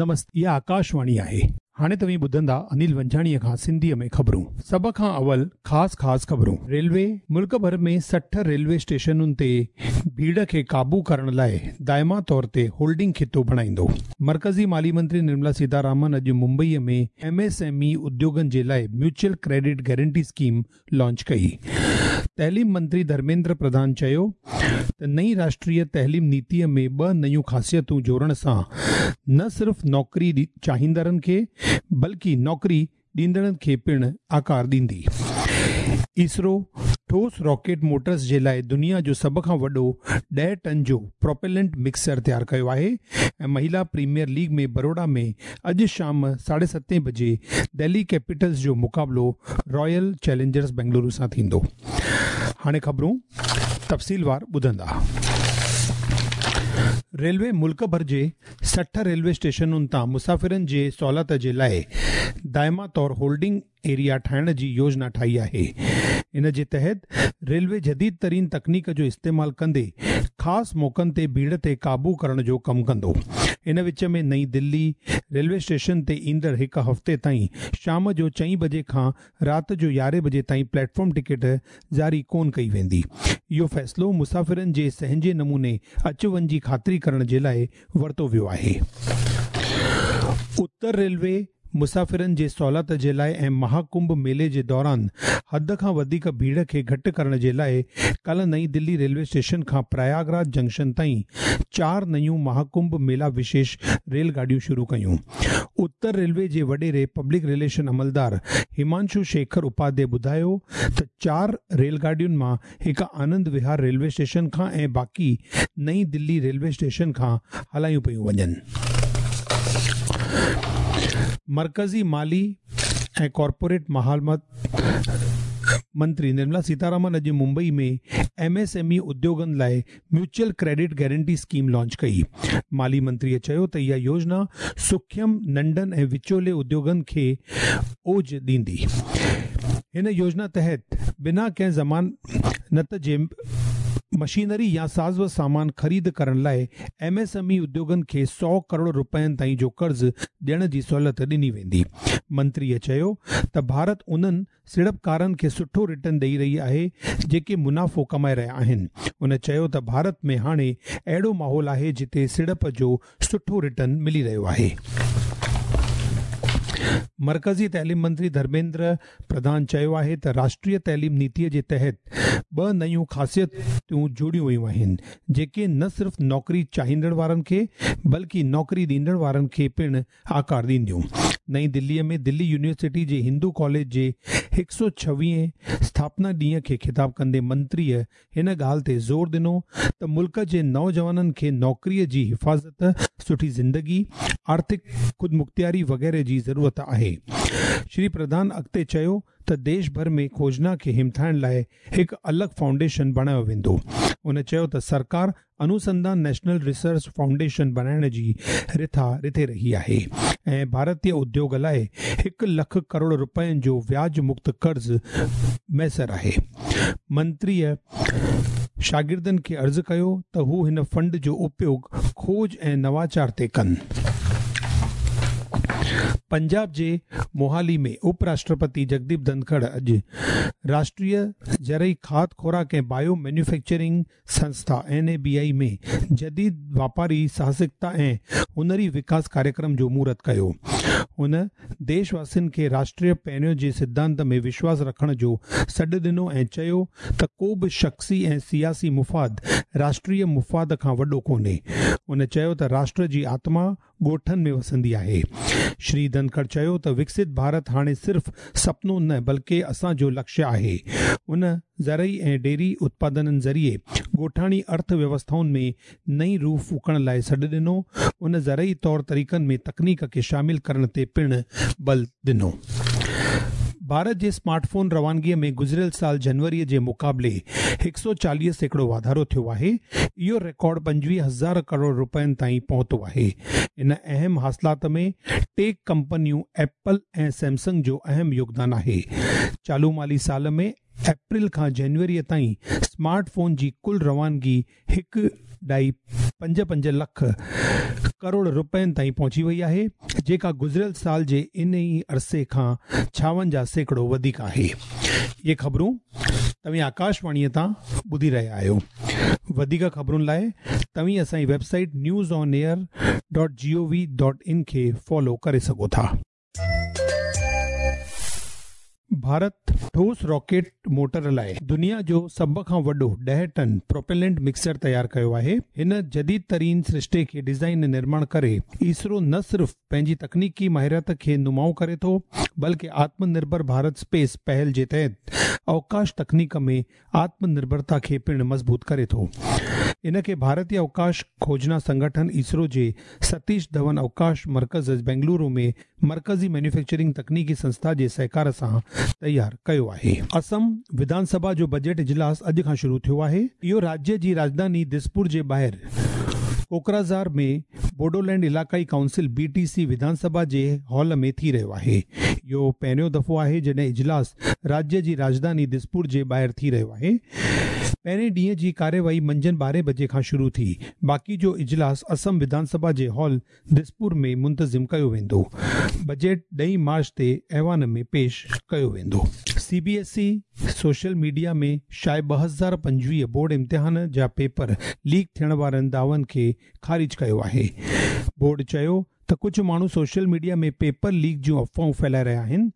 نمستي اها آڪاشواڻي آهي. هاڻي توهين ٻڌندا انيل ونجهاڻيء کان سنڌيء ۾ خبرون. سڀ کان اول خاص خاص خبرون. ريلوي ملڪ ڀر ۾ 60 ريلوي اسٽيشنن تي ڀيڙ کي قابو ڪرڻ لاء دائما طور تي هولڊنگ خطو بڻائيندو. مرڪزي مالي منتري نرملا سيتارامن اڄ ممبئيء ۾ ايم ايس ايم اي اديوگن جي لاء mutual credit guarantee scheme launch ڪئي. تعليم منتري ڌرميندر پرڌان چيو ته نئين راشٽريه تعليم نيتي ۾ ٻه نيون خاصيتون جوڙڻ سان نه صرف نوڪري چاهيندڙن کي بلڪه نوڪري ڏيندڙن کي پڻ آڪار ڏيندي. اسرو ٺوس راڪيٽ موٽرز جي لاء دنيا جو سڀ کان وڏو 10 ٽن جو پروپيلنٽ مڪسر تيار ڪيو آهي ۽ مهيلا پريميئر ليگ ۾ بروڊا ۾ اڄ شام ساڍي ستين بجي دهلي ڪيپيٽلز جو مقابلو رائل چئلينجرز بنگلورو سان ٿيندو. هاڻي خبرون تفصيلوار ٻڌندا. ريلوي ملڪ ڀر جي 60 ريلوي اسٽيشنن تان مسافرن جي سهولت جي لاء دائما طور هولڊنگ ايريا ٺاهڻ جي يوجنا ٺاهي آهي. ان جي تحت ريلوي جديد ترين تڪنيڪ جو استعمال ڪندي خاص موقعن تي ڀيڙ تي قابو ڪرڻ جو ڪم ڪندو. ان وچ ۾ نئين دلي ريلوي اسٽيشن تي ايندڙ هڪ هفتي تائين شام جو چئين بجي کان رات جو يارهين بجي تائين پليٽ فارم ٽڪيٽ جاري ڪونه ڪئي ويندي. اهو فيصلو مسافرن جي سهنجي نموني اچ وڃ جي خاطري ڪرڻ جي لاء ورتو ويو آهي. اتر ريلوي مسافرن جي سهولت جي لاء ۽ مها ڪنڀ ميلي جي دوران حد کان وڌيڪ ڀيڙ کي گهٽ ڪرڻ جي لاء ڪالهه نئين دلي ريلوي اسٽيشن کان پرياگ راج جنڪشن تائين چار نيون مها ڪنڀ ميلا وشيش ريل گاڏيون شروع ڪيون. اتر ريلوي جي وڏيري پبلڪ رليشن عملدار همانشو شيکر اپاڌي ٻڌايو ته چار ريل گاڏين مان هڪ آنند وهار ريلوي اسٽيشن کان ۽ باقي نئين دلي ريلوي اسٽيشن کان هلايون پيون وڃن. مرڪزي مالي ۽ ڪارپوريٽ معاملات منتري نرملا سيتارامن اڄ Mumbai ۾ M S M E اديوگن لاء mutual credit guarantee scheme launch ڪئي. مالي منتريء چيو ته اها يوجنا سوکيم، ننڍن ۽ وچولي اديوگن کي اوج ڏيندي. هن يوجنا تحت بنا ڪنهن ضمانت جي مشينري يا ساز و سامان خريد ڪرڻ لاء ايم ايس ايم اي اديوگن کي سؤ ڪروڙ رپين تائين جو قرض ڏيڻ جي سهولت ڏني ويندي. منتريء چيو ته ڀارت انهن سيڙپڪارن کي سٺو ريٽرن ڏئي رهي آهي جيڪي منافعو ڪمائي رهيا آهن. هن چيو ته ڀارت ۾ هاڻي اهڙو ماحول آهي جتي سيڙپ جو سٺو ريٽرن ملي رهيو آهي. مرڪزي تعليم منتري ڌرميندر پرڌان چيو آهي ته راشٽريه تعليم نيتي جي تحت ٻه نيون خاصيتون جوڙيون ويون آهن جيڪي نه صرف نوڪري چاهيندڙ وارن کي بلڪه نوڪري ڏيندڙ وارن کي پڻ آڪار ڏينديون. نئين دليء ۾ دلي يونيورسٽي جي هندو ڪاليج جي هڪ سؤ ڇويهين اسٿاپنا ڏينهن کي خطاب ڪندي منتريء هن ڳالهه تي زور ڏنو ته ملڪ جي نوجوانن کي نوڪريء جي حفاظت، سٺي زندگي، آرٿڪ خودمختياري وغيره جي ضرورت آهي. شري پرڌان اڳتي چيو ته ديش ڀر ۾ کوجنا کي همٿائڻ لاء هڪ الڳ فائونڊيشن بڻايو ويندو. هن چيو ته سرڪار انوسنڌان نيشنل ريسرچ فائونڊيشن بڻائڻ جي رٿا رٿي رهي آهي ۽ ڀارتي اديوگ لاء هڪ لک ڪروڙ رپين جو وياج مڪت قرض ميسر آهي. منتريء شاگردن کي عرض ڪيو ته هو هن فنڊ جو اپيوگ کوج ۽ نواچار تي ڪن. پنجاب جي موهالي ۾ اپ راشٽرپتي جگديپ ڌنکڙ اڄ راشٽريه زرعي کاڌ خوراڪ ۽ بايو مينوفيڪچرنگ سنسٿا، اين اي بي آء، ۾ جديد واپاري ساهسڪتا ۽ هنري وڪاس ڪاريڪرم جو مهورت ڪيو. هن ديش واسين کي راشٽريه پهريون جي سڌانت ۾ وشواس رکڻ جو سڏ ڏنو ۽ چيو ته ڪو به شخصي ۽ سياسي مفاد راشٽريه مفاد کان وڏو ڪونهي. هن چيو ته راشٽر جي آتما ڳوٺن ۾ وسندي آهي. شري ڌنکڙ چيو ته وڪست ڀارت هاڻي صرف سپنو نه بلڪه اسان جو لڪشيه آهي. هن زرعي ۽ ڊيري اتپادنن ذريعي ڳوٺاڻي ارٿ ويوسٿائن ۾ نئين روح ڦوڪڻ لاء سڏ ڏنو. هن زرعي طور طريقن ۾ تڪنيڪ کي شامل ڪرڻ تي پڻ بل ڏنو. ڀارت جي سمارٽ فون روانگي ۾ گذريل سال جنوري جي مقابلي 140% واڌارو ٿيو آهي. اهو رڪارڊ 25 هزار ڪروڙ رپين تائين پهتو آهي. ان اهم حاصلات ۾ ٽيڪ ڪمپنيون ايپل ۽ سيمسنگ جو اهم يوگدان آهي. چالو مالي سال ۾ اپريل کان جنوري تائين سمارٽ فون جي ڪل روانگي هڪ ڏهائي پنج پنج لک ڪروڙ رپين تائين پهچي وئي آهي، جيڪا گذريل سال جي ان ئي عرصي کان 56% وڌيڪ آهي. اهي خبرون توهين آڪاشواڻيء تان ٻڌي رهيا آهيو. وڌيڪ خبرن لاء توهين اسان جي website news on air dot G O V dot in کي فالو ڪري سگهو ٿا. ڀارت ٺوس راڪيٽ موٽر لاء دنيا جو سڀ کان وڏو 10 ٽن پروپيلنٽ مڪسر تيار ڪيو آهي. هن جديد ترين سرشتي کي ڊيزائن ۽ نرماڻ ڪري اسرو نه صرف پنهنجي تڪنيڪي مهارت کي نمايان ڪري ٿو بلڪه آتم نرڀر ڀارت اسپيس پهل جي تحت اوڪاش تڪنيڪ ۾ آتم نرڀرتا کي پڻ مضبوط ڪري ٿو. ان کي ڀارتي اوڪاش کوجنا سنگٺن اسرو جي ستيش ڌون اوڪاش مرڪز بينگلورو ۾ مرڪزي مينوفيڪچرنگ تڪنيڪي سنسٿا جي سهڪار سان تيار ڪيو آهي. اسم وڌان سڀا جو بجيٽ اجلاس اڄ کان شروع ٿيو آهي. اهو راجيه جي راڄڌاني دسپور جي ٻاهر ڪوڪرازار ۾ بوڊولينڊ علائقائي ڪائونسل، بي ٽي سي، وڌان سڀا جي هال ۾ ٿي رهيو آهي. اهو پهريون دفعو آهي جڏهن اجلاس راجيه جي راڄڌاني دسپور جي ٻاهر ٿي رهيو آهي. پهرين ڏينهن جي ڪارروائي منجهند ٻارهين بجي کان شروع ٿي. باقي جو اجلاس اسم وڌان سڀا جي هال دسپور ۾ منتظم ڪيو ويندو. بجيٽ ڏهين مارچ تي ايوان ۾ پيش ڪيو ويندو. C B S E social media ۾ شايع 2025 بورڊ امتحان جا پيپر ليڪ ٿيڻ وارن دعون کي خارج ڪيو آهي. بورڊ چيو ته ڪجهه ماڻهو سوشل ميڊيا ۾ پيپر ليڪ جون افواهون ڦهلائي رهيا آهن.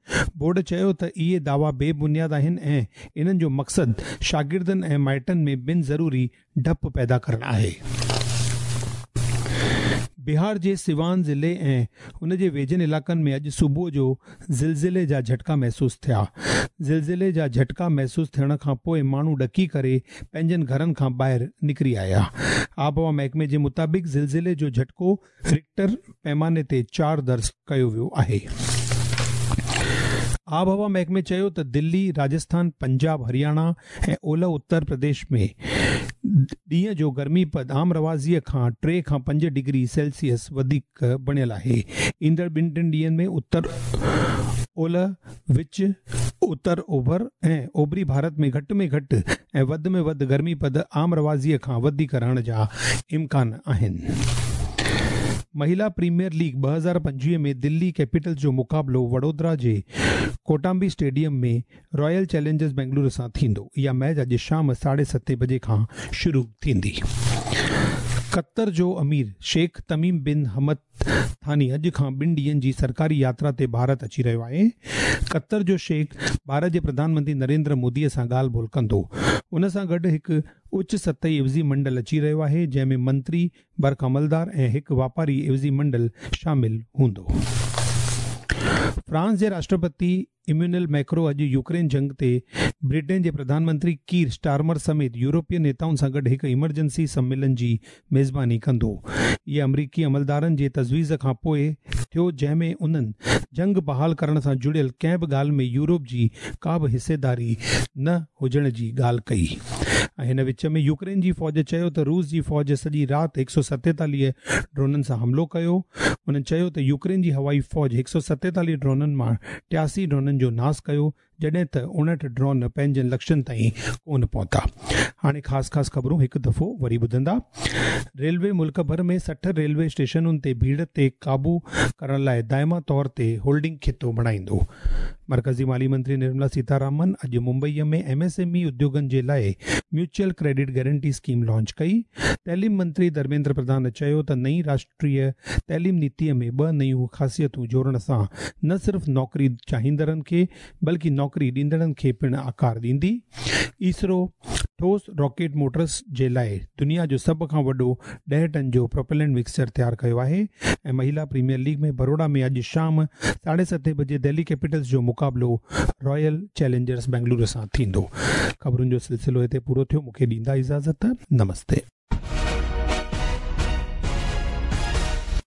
بورڊ چيو ته اهي دعوا بي بنياد آهن ۽ انهن جو مقصد شاگردن ۽ مائٽن ۾ بن ضروري ڊپ پيدا ڪرڻ آهي. بهار جي سيوان ضلعي ۽ ان جي ويجهن علائقن ۾ اڄ صبح جو زلزلي جا جهٽڪا محسوس ٿيا. زلزلي جا جهٽڪا محسوس ٿيڻ کان پوء ماڻهو ڏڪي ڪري پنهنجن گهرن کان ٻاهر نڪري آيا. آبهوا محڪمي جي مطابق زلزلي جو جهٽڪو رڪٽر پيماني تي چار درج ڪيو ويو آهي. آبهوا محڪمي چيو ته دلي، راجسٿان، پنجاب، هرياڻا ۽ اولهه اتر پرديش ۾ ڏينهن جو گرمي پد عام رواجي کان 3 کان 5 ڊگري سيلسيس وڌيڪ بڻيل آهي. ايندڙ ٻن ٽن ڏينهن ۾ اتر اولهه، وچ، اتر اوڀر ۽ اوڀري ڀارت ۾ گهٽ ۾ گهٽ ۽ وڌ ۾ وڌ گرمي پد عام رواجي کان وڌيڪ رهڻ جا امڪان آهن. مهيلا پريميئر ليگ 2025 ۾ دلي ڪيپيٽلز جو مقابلو وڊودرا جي ڪوٽامبي اسٽيڊيم ۾ رائل چئلينجرز بينگلورو سان ٿيندو. اها ميچ اڄ شام ساڍي ستين بجي کان شروع ٿيندي. قطر جو امير شيخ تميم بن حمد ثاني اڄ کان ٻن ڏينهن جي سرڪاري ياترا تي ڀارت اچي رهيو آهي. قطر جو شيخ ڀارت جي پرڌان منتري نريندر مودي سان ڳالهه ٻولهه ڪندو. ان سان گڏ هڪ اچ سطحي عوضي منڊل اچي رهيو آهي جنهن ۾ منتري، برک عملدار ۽ هڪ واپاري عوضي منڊل شامل هوندو. فرانس جي راشٽرپتي ايميونل ميڪرو اڄ يوڪرين جنگ تي برٽين جي پرڌان منتري ڪير اسٽارمر سميت يورپي نيتائن سان گڏ هڪ ايمرجنسي سميلن جي ميزباني ڪندو. اهي آمريڪي عملدارن جي تجويز کان پوء ٿيو جنهن ۾ انهن جنگ بحال ڪرڻ سان جڙيل ڪنهن به ڳالهه ۾ يورپ جي ڪا به حصيداري نه هجڻ جي ڳالهه ڪئي. ۽ هن وچ ۾ يوڪرين جي فوج چيو ته روس جي فوج سڄي رات 147 ڊرونن سان حملو ڪيو. انهن چيو ته يوڪرين جي هوائي فوج 147 ڊرونن مان 83 ڊرونن جو ناس ڪيو جڏهن ته 59 ڊرون پنهنجن لڪشن تائين ڪونه پهتا. هاڻي خاص خاص خبرون هڪ دفعو وري ٻڌندا. ريلوي ملڪ ڀر ۾ 60 ريلوي اسٽيشنن تي ڀيڙ تي قابو ڪرڻ لاء دائمي طور تي هولڊنگ خطو بڻائيندو. مرڪزي مالي منتري نرملا سيتارامن اڄ Mumbai ۾ M S M E اديوگن جي لاء mutual credit guarantee scheme launch ڪئي. تعليم منتري ڌرميندر پرڌان چيو ته نئين راشٽريه تعليم نيتي ۾ ٻه نيون خاصيتون جوڙڻ سان نه صرف نوڪري چاهيندڙن کي بلڪه نوڪري ڏيندڙن کي پڻ آڪار ڏيندي. اسرو ٺوس راڪيٽ موٽرز جي لاء دنيا جو سڀ کان وڏو 10 ٽن جو پروپيلنٽ مڪسچر تيار ڪيو آهي ۽ مهيلا پريميئر ليگ ۾ بروڙا ۾ اڄ شام ساڍي ستين بجي دهلي ڪيپيٽلز جو مقابلو رائل چئلينجرز بينگلورو سان ٿيندو. خبرن جو سلسلو هتي پورو ٿيو مون کي ڏيندا اجازت نمستي.